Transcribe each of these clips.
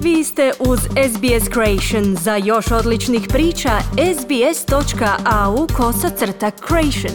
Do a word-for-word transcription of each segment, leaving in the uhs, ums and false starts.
Vi ste uz S B S Creation. Za još odličnih priča, sbs.au kosacrta creation.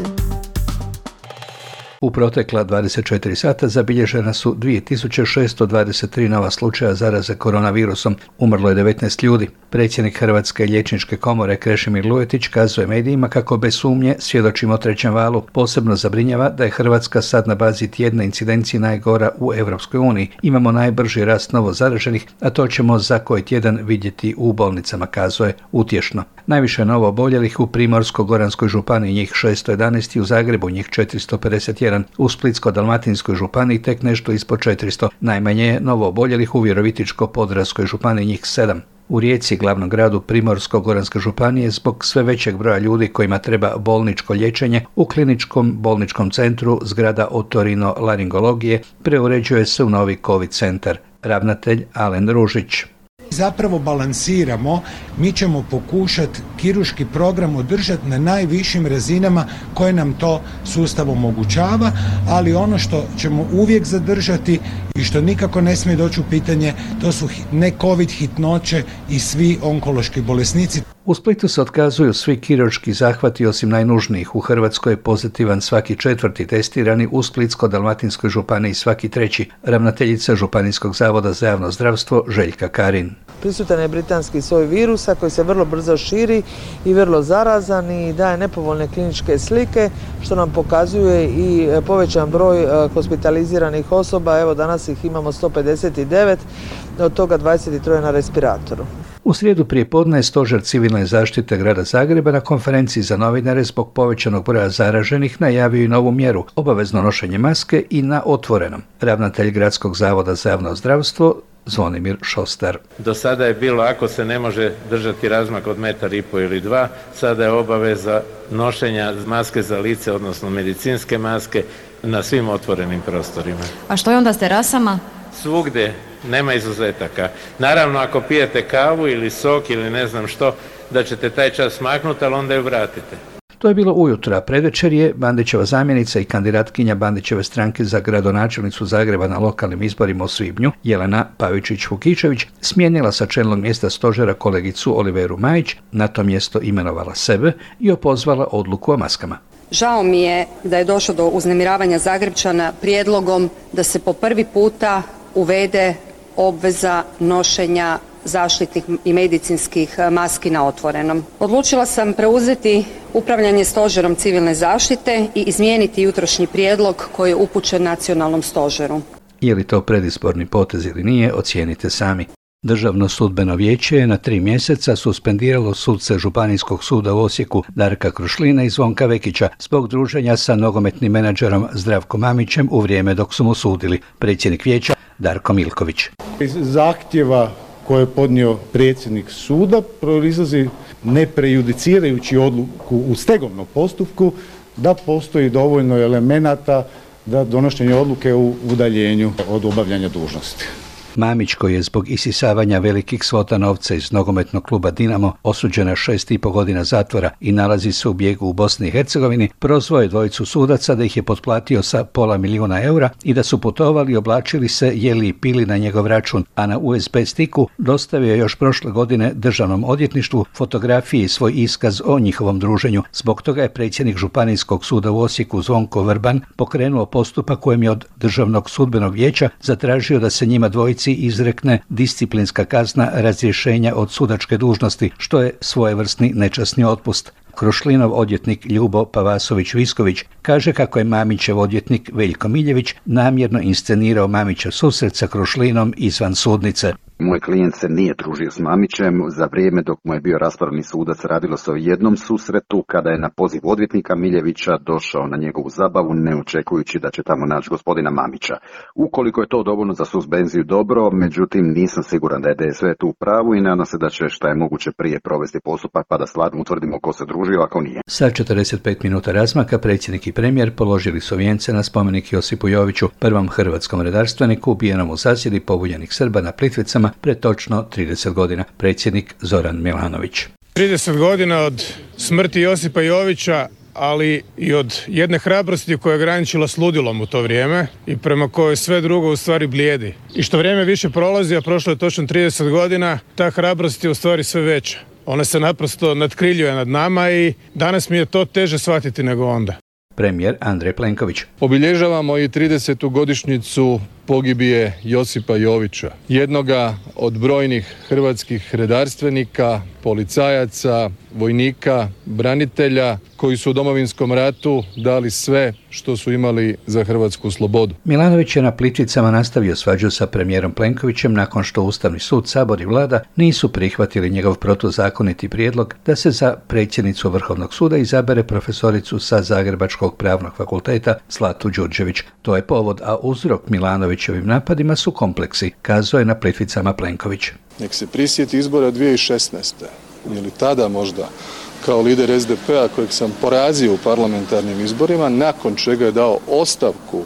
U protekla dvadeset četiri sata zabilježena su dvije tisuće šesto dvadeset tri nova slučaja zaraze koronavirusom. Umrlo je devetnaest ljudi. Predsjednik Hrvatske liječničke komore Krešimir Lujetić kazuje medijima kako bez sumnje svjedočimo o trećem valu. Posebno zabrinjava da je Hrvatska sad na bazi tjedne incidencije najgora u Europskoj uniji. Imamo najbrži rast novo zaraženih, a to ćemo za koji tjedan vidjeti u bolnicama, kazuje utješno. Najviše novo oboljelih u Primorsko-goranskoj županiji, njih šesto jedanaest, i u Zagrebu njih četiristo pedeset jedan. U Splitsko-dalmatinskoj županiji tek nešto ispod četiristo. Najmanje je novo oboljelih u Virovitičko-podravskoj županiji, njih sedam. U Rijeci, glavnom gradu Primorsko-goranske županije, zbog sve većeg broja ljudi kojima treba bolničko liječenje, u kliničkom bolničkom centru zgrada otorinolaringologije preuređuje se u novi COVID centar. Ravnatelj Alen Ružić. Zapravo balansiramo, mi ćemo pokušati kirurški program održati na najvišim razinama koje nam to sustav omogućava, ali ono što ćemo uvijek zadržati i što nikako ne smije doći u pitanje, to su ne COVID hitnoće i svi onkološki bolesnici. U Splitu se otkazuju svi kirurški zahvati osim najnužnijih. U Hrvatskoj je pozitivan svaki četvrti testirani, u Splitsko-dalmatinskoj županiji svaki treći. Ravnateljica Županijskog zavoda za javno zdravstvo Željka Karin. Prisutan je britanski soj virusa koji se vrlo brzo širi i vrlo zarazan i daje nepovoljne kliničke slike, što nam pokazuje i povećan broj hospitaliziranih osoba. Evo danas ih imamo sto pedeset devet, od toga dvadeset tri na respiratoru. U srijedu prijepodne je Stožer civilne zaštite grada Zagreba na konferenciji za novinare zbog povećanog broja zaraženih najavio i novu mjeru, obavezno nošenje maske i na otvorenom. Ravnatelj Gradskog zavoda za javno zdravstvo Zvonimir Šostar. Do sada je bilo, ako se ne može držati razmak od metar i po ili dva, sada je obaveza nošenja maske za lice, odnosno medicinske maske, na svim otvorenim prostorima. A što je onda s terasama? Svugdje, nema izuzetaka. Naravno, ako pijete kavu ili sok ili ne znam što, da ćete taj čas maknuti, ali onda ju vratite. To je bilo ujutro, a predvečer je Bandićeva zamjenica i kandidatkinja Bandićeve stranke za gradonačelnicu Zagreba na lokalnim izborima u svibnju, Jelena Pavičić-Vukičević, smijenila sa čelnog mjesta stožera kolegicu Oliveru Majić, na to mjesto imenovala sebe i opozvala odluku o maskama. Žao mi je da je došlo do uznemiravanja Zagrepčana prijedlogom da se po prvi puta uvede obveza nošenja zaštitnih i medicinskih maski na otvorenom. Odlučila sam preuzeti upravljanje stožerom civilne zaštite i izmijeniti jutrošnji prijedlog koji je upućen nacionalnom stožeru. Je li to predizborni potez ili nije, ocijenite sami. Državno sudbeno vijeće je na tri mjeseca suspendiralo suce Županijskog suda u Osijeku Darka Krušlina i Zvonka Vekića zbog druženja sa nogometnim menadžerom Zdravkom Mamićem u vrijeme dok su mu sudili. Predsjednik vijeća Darko Milković. Iz zahtjeva koje je podnio predsjednik suda proizlazi, ne prejudicirajući odluku u stegovnom postupku, da postoji dovoljno elemenata da donošenje odluke u udaljenju od obavljanja dužnosti. Mamić, koji je zbog isisavanja velikih svota novca iz nogometnog kluba Dinamo osuđen na šest i po godina zatvora i nalazi se u bijegu u Bosni i Hercegovini, prozvao je dvojicu sudaca da ih je potplatio sa pola milijuna eura i da su putovali i oblačili se, jeli i pili na njegov račun, a na U S B stiku dostavio je još prošle godine Državnom odvjetništvu fotografije i svoj iskaz o njihovom druženju. Zbog toga je predsjednik Županijskog suda u Osijeku Zvonko Vrban pokrenuo postupak kojem je od Državnog sudbenog vijeća zatražio da se njima dvojici izrekne disciplinska kazna razrješenja od sudačke dužnosti, što je svojevrsni nečasni otpust. Krušlinov odvjetnik Ljubo Pavasović-Visković kaže kako je Mamićev odvjetnik Veljko Miljević namjerno inscenirao Mamićev susret sa Krušlinom izvan sudnice. Moj klijent se nije družio s Mamićem. Za vrijeme dok mu je bio raspravni sudac radilo se o jednom susretu kada je na poziv odvjetnika Miljevića došao na njegovu zabavu ne očekujući da će tamo naći gospodina Mamića. Ukoliko je to dovoljno za suspenziju dobro, međutim nisam siguran da je D S V tu u pravu i nadam se da će šta je moguće prije provesti postupak pa da stvarno utvrdimo ko se družio, ako nije. Sa četrdeset pet minuta razmaka predsjednik i premijer položili su vijence na spomenik Josipu Joviću, prvom hrvatskom redarstveniku ubijenom u zasjedi pobunjenih Srba na Plitvicama pred točno trideset godina. Predsjednik Zoran Milanović. trideset godina od smrti Josipa Jovića ali i od jedne hrabrosti koja je graničila s ludilom u to vrijeme i prema kojoj sve drugo u stvari blijedi. I što vrijeme više prolazi, a prošlo je točno trideset godina, ta hrabrost je u stvari sve veća. Ona se naprosto nadkriljuje nad nama i danas mi je to teže shvatiti nego onda. Premijer Andrej Plenković. Obilježavamo i tridesetu godišnjicu pogibije Josipa Jovića, jednoga od brojnih hrvatskih redarstvenika, policajaca, vojnika, branitelja koji su u Domovinskom ratu dali sve što su imali za hrvatsku slobodu. Milanović je na Plitvicama nastavio svađu sa premijerom Plenkovićem nakon što Ustavni sud, Sabor i Vlada nisu prihvatili njegov protuzakoniti prijedlog da se za predsjednicu Vrhovnog suda izabere profesoricu sa Zagrebačkog pravnog fakulteta Zlatu Đurđević. To je povod, a uzrok Milanovićevim napadima su kompleksi, kazao je na Plitvicama Plenković. Nek se prisjeti izbora dvije tisuće šesnaeste. Je li tada možda kao lider es de pe a kojeg sam porazio u parlamentarnim izborima, nakon čega je dao ostavku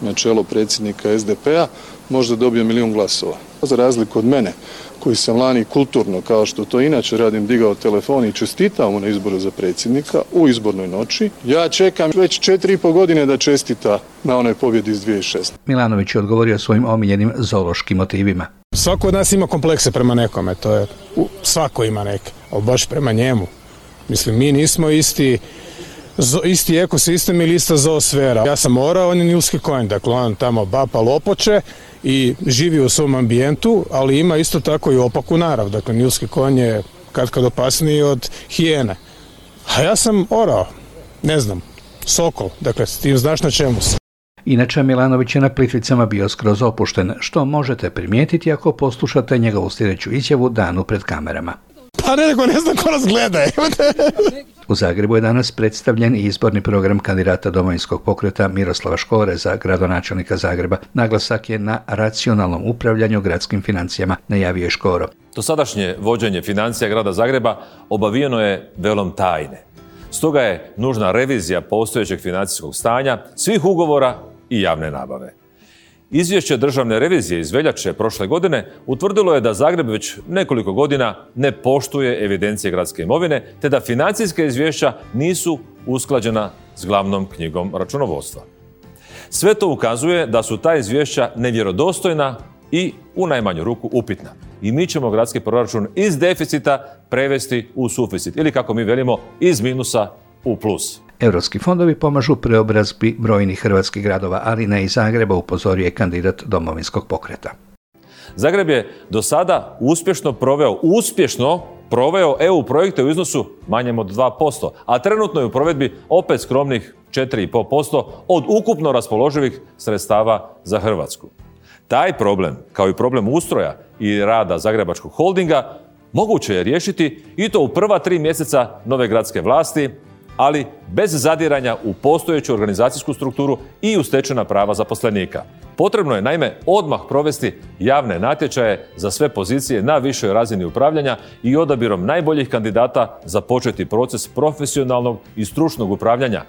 na čelo predsjednika es de pe a, možda dobio milijun glasova. Za razliku od mene, koji sam lani kulturno, kao što to inače radim, digao telefon i čestitao mu na izboru za predsjednika u izbornoj noći, ja čekam već četiri i pol godine da čestita na onoj pobjedi iz dvije tisuće šesnaeste. Milanović je odgovorio svojim omiljenim zoološkim motivima. Svako od nas ima komplekse prema nekome, to je, svako ima neke, ali baš prema njemu. Mislim, mi nismo isti, zo, isti ekosistem ili ista zoosfera. Ja sam orao, on je nilski konj, dakle on tamo bapa lopoče i živi u svom ambijentu, ali ima isto tako i opaku narav. Dakle, nilski konj je katkad opasniji od hijene. A ja sam orao, ne znam, sokol, dakle, ti znaš na čemu sam. Inače, Milanović je na Plitvicama bio skroz opušten, što možete primijetiti ako poslušate njegovu sljedeću izjavu danu pred kamerama. Pa ne, nego ne znam ko nas gleda. U Zagrebu je danas predstavljen i izborni program kandidata Domovinskog pokreta Miroslava Škore za gradonačelnika Zagreba. Naglasak je na racionalnom upravljanju gradskim financijama, najavio je Škoro. Dosadašnje vođenje financija grada Zagreba obavijeno je velom tajne. Stoga je nužna revizija postojećeg financijskog stanja, svih ugovora i javne nabave. Izvješće državne revizije iz veljače prošle godine utvrdilo je da Zagreb već nekoliko godina ne poštuje evidencije gradske imovine, te da financijska izvješća nisu usklađena s glavnom knjigom računovodstva. Sve to ukazuje da su ta izvješća nevjerodostojna i u najmanju ruku upitna. I mi ćemo gradski proračun iz deficita prevesti u suficit ili, kako mi velimo, iz minusa u plus. Europski fondovi pomažu preobrazbi brojnih hrvatskih gradova, ali ne i Zagreba, upozorio je kandidat Domovinskog pokreta. Zagreb je do sada uspješno proveo, uspješno proveo E U projekte u iznosu manjem od dva posto, a trenutno je u provedbi opet skromnih četiri i pol posto od ukupno raspoloživih sredstava za Hrvatsku. Taj problem, kao i problem ustroja i rada Zagrebačkog holdinga, moguće je riješiti i to u prva tri mjeseca nove gradske vlasti, ali bez zadiranja u postojeću organizacijsku strukturu i u stečena prava zaposlenika. Potrebno je naime odmah provesti javne natječaje za sve pozicije na višoj razini upravljanja i odabirom najboljih kandidata započeti proces profesionalnog i stručnog upravljanja.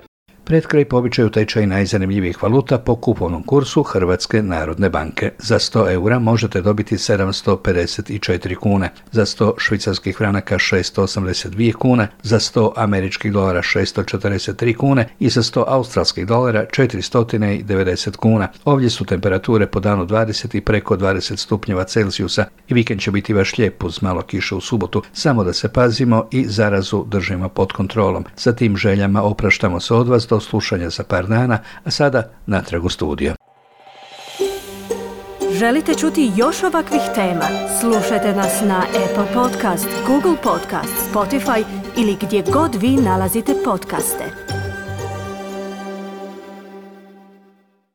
Pred kraj po običaju tečaj najzanimljivijih valuta po kupovnom kursu Hrvatske narodne banke. Za sto eura možete dobiti sedamsto pedeset četiri kune, za sto švicarskih franaka šesto osamdeset dvije kune, za sto američkih dolara šesto četrdeset tri kune i za sto australskih dolara četiristo devedeset kuna. Ovdje su temperature po danu dvadeset i preko dvadeset stupnjeva Celzijusa i vikend će biti baš lijep uz malo kiše u subotu. Samo da se pazimo i zarazu držimo pod kontrolom. Sa tim željama opraštamo se od vas do slušanja za par dana, a sada natrag u studio. Želite čuti još ovakvih tema? Slušajte nas na Apple Podcast, Google Podcast, Spotify ili gdje god vi nalazite podcaste.